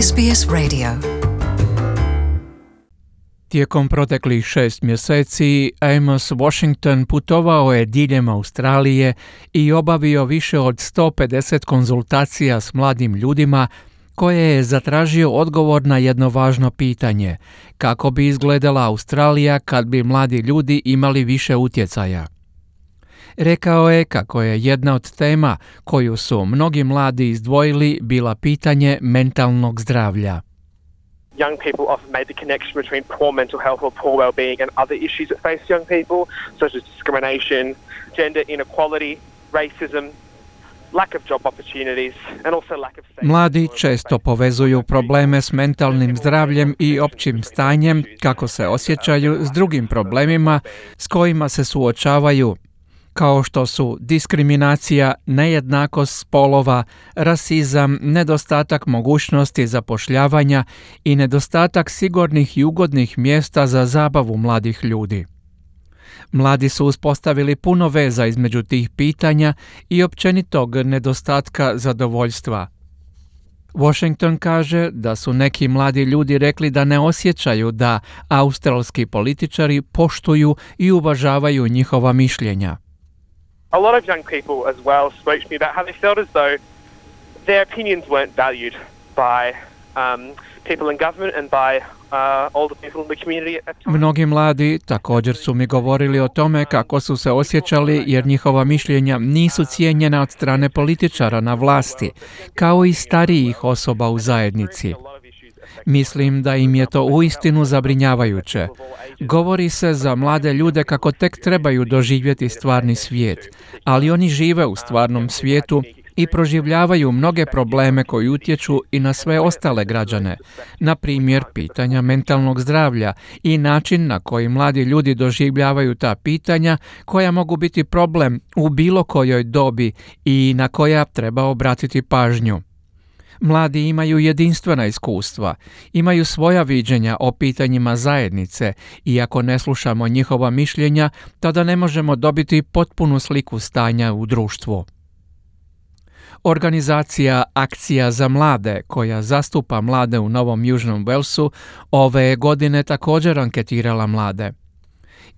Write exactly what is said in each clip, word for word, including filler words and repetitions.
S B S Radio. Tijekom proteklih šest mjeseci Amos Washington putovao je diljem Australije i obavio više od sto pedeset konzultacija s mladim ljudima koje je zatražio odgovor na jedno važno pitanje: kako bi izgledala Australija kad bi mladi ljudi imali više utjecaja. Rekao je kako je jedna od tema koju su mnogi mladi izdvojili bila pitanje mentalnog zdravlja. Young people often made the connection between poor mental health or poor well-being and other issues that face young people, such as discrimination, gender inequality, racism, lack of job opportunities, and also lack of safety. Mladi često povezuju probleme s mentalnim zdravljem i općim stanjem, kako se osjećaju, s drugim problemima s kojima se suočavaju, kao što su diskriminacija, nejednakost spolova, rasizam, nedostatak mogućnosti zapošljavanja i nedostatak sigurnih i ugodnih mjesta za zabavu mladih ljudi. Mladi su uspostavili puno veza između tih pitanja i općenitog nedostatka zadovoljstva. Washington kaže da su neki mladi ljudi rekli da ne osjećaju da australski političari poštuju i uvažavaju njihova mišljenja. A lot of young people as well spoke to me about how they felt as though their opinions weren't valued by um, people in government and by uh, older people in the community at times. Mnogi mladi također su mi govorili o tome kako su se osjećali jer njihova mišljenja nisu cijenjena od strane političara na vlasti, kao i starijih osoba u zajednici. Mislim da im je to uistinu zabrinjavajuće. Govori se za mlade ljude kako tek trebaju doživjeti stvarni svijet, ali oni žive u stvarnom svijetu i proživljavaju mnoge probleme koji utječu i na sve ostale građane, na primjer pitanja mentalnog zdravlja i način na koji mladi ljudi doživljavaju ta pitanja koja mogu biti problem u bilo kojoj dobi i na koja treba obratiti pažnju. Mladi imaju jedinstvena iskustva, imaju svoja viđenja o pitanjima zajednice i ako ne slušamo njihova mišljenja, tada ne možemo dobiti potpunu sliku stanja u društvu. Organizacija Akcija za mlade, koja zastupa mlade u Novom Južnom Walesu, ove godine također anketirala mlade.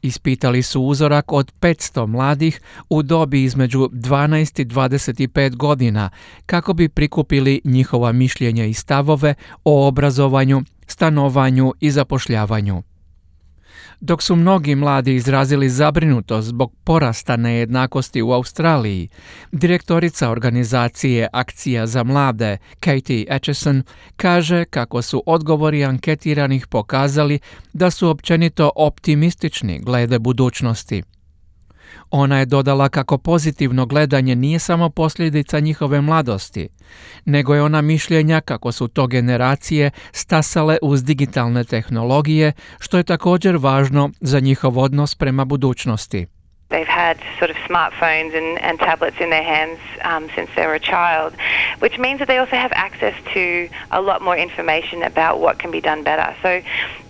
Ispitali su uzorak od petsto mladih u dobi između dvanaest i dvadeset pet godina kako bi prikupili njihova mišljenja i stavove o obrazovanju, stanovanju i zapošljavanju. Dok su mnogi mladi izrazili zabrinutost zbog porasta nejednakosti u Australiji, direktorica organizacije Akcija za mlade, Katie Acheson, kaže kako su odgovori anketiranih pokazali da su općenito optimistični glede budućnosti. Ona je dodala kako pozitivno gledanje nije samo posljedica njihove mladosti, nego je ona mišljenja kako su to generacije stasale uz digitalne tehnologije, što je također važno za njihov odnos prema budućnosti. They've had sort of smartphones and, and tablets in their hands um, since they were a child, which means that they also have access to a lot more information about what can be done better. So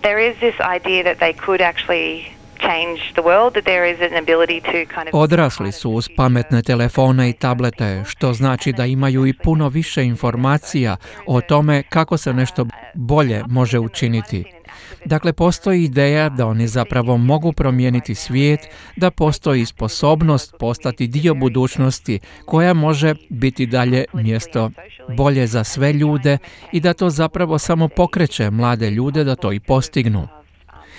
there is this idea that they could actually change the world, that there is an ability to kind of... Odrasli su uz pametne telefone i tablete, što znači da imaju i puno više informacija o tome kako se nešto bolje može učiniti. Dakle, postoji ideja da oni zapravo mogu promijeniti svijet, da postoji sposobnost postati dio budućnosti koja može biti dalje mjesto bolje za sve ljude i da to zapravo samo pokreće mlade ljude da to i postignu.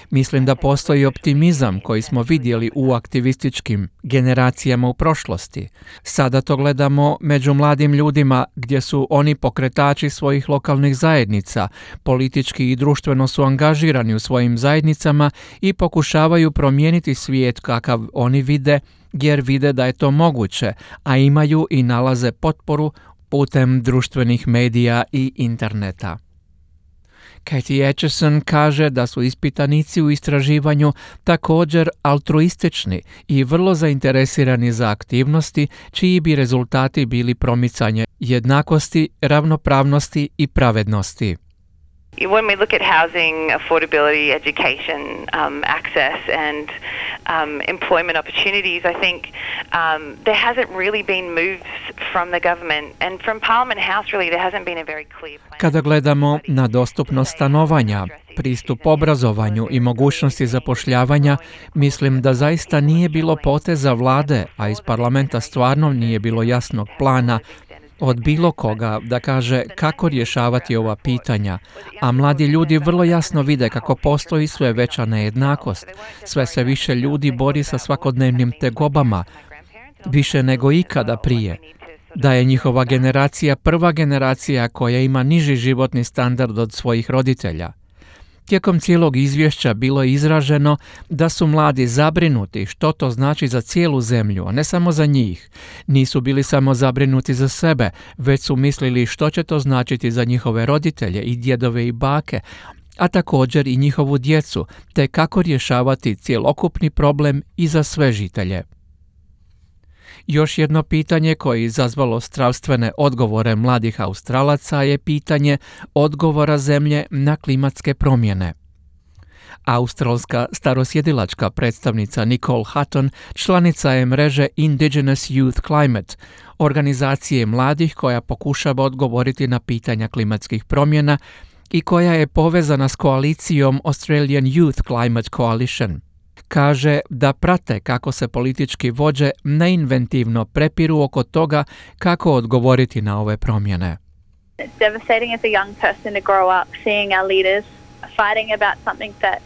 Mislim da postoji optimizam koji smo vidjeli u aktivističkim generacijama u prošlosti. Sada to gledamo među mladim ljudima gdje su oni pokretači svojih lokalnih zajednica, politički i društveno su angažirani u svojim zajednicama i pokušavaju promijeniti svijet kakav oni vide, jer vide da je to moguće, a imaju i nalaze potporu putem društvenih medija i interneta. Katie Acheson kaže da su ispitanici u istraživanju također altruistični i vrlo zainteresirani za aktivnosti čiji bi rezultati bili promicanje jednakosti, ravnopravnosti i pravednosti. When we look at housing, affordability, education, um, access and um, employment opportunities, I think um, there hasn't really been moves from the government and from Parliament House really there hasn't been a very clear plan. Kada gledamo na dostupnost stanovanja, pristup obrazovanju i mogućnosti zapošljavanja, mislim da zaista nije bilo poteza vlade, a iz parlamenta stvarno nije bilo jasnog plana od bilo koga da kaže kako rješavati ova pitanja, a mladi ljudi vrlo jasno vide kako postoji sve veća nejednakost. Sve se više ljudi bori sa svakodnevnim tegobama, više nego ikada prije. Da je njihova generacija prva generacija koja ima niži životni standard od svojih roditelja. Tijekom cijelog izvješća bilo je izraženo da su mladi zabrinuti što to znači za cijelu zemlju, a ne samo za njih. Nisu bili samo zabrinuti za sebe, već su mislili što će to značiti za njihove roditelje i djedove i bake, a također i njihovu djecu, te kako rješavati cjelokupni problem i za sve žitelje. Još jedno pitanje koje je izazvalo strastvene odgovore mladih Australaca je pitanje odgovora zemlje na klimatske promjene. Australska starosjedilačka predstavnica Nicole Hutton članica je mreže Indigenous Youth Climate, organizacije mladih koja pokušava odgovoriti na pitanja klimatskih promjena i koja je povezana s koalicijom Australian Youth Climate Coalition. Kaže da prate kako se politički vođe neinventivno prepiru oko toga kako odgovoriti na ove promjene. It's devastating as a young person to grow up seeing our leaders fighting about something that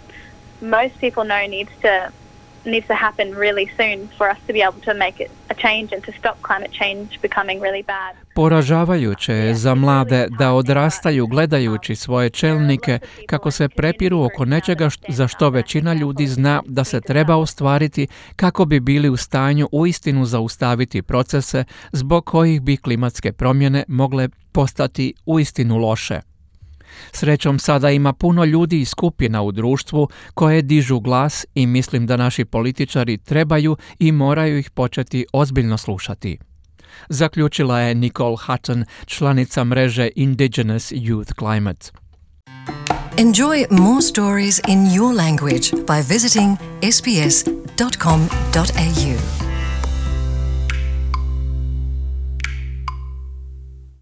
most people know needs to needs to happen really soon for us to be able to make it a change and to stop climate change becoming really bad. Poražavajuće je za mlade da odrastaju gledajući svoje čelnike kako se prepiru oko nečega za što većina ljudi zna da se treba ostvariti kako bi bili u stanju uistinu zaustaviti procese zbog kojih bi klimatske promjene mogle postati uistinu loše. Srećom sada ima puno ljudi i skupina u društvu koje dižu glas i mislim da naši političari trebaju i moraju ih početi ozbiljno slušati. Zaključila je Nicole Hutton, članica mreže Indigenous Youth Climate. Enjoy more stories in your language by visiting s b s dot com dot a u.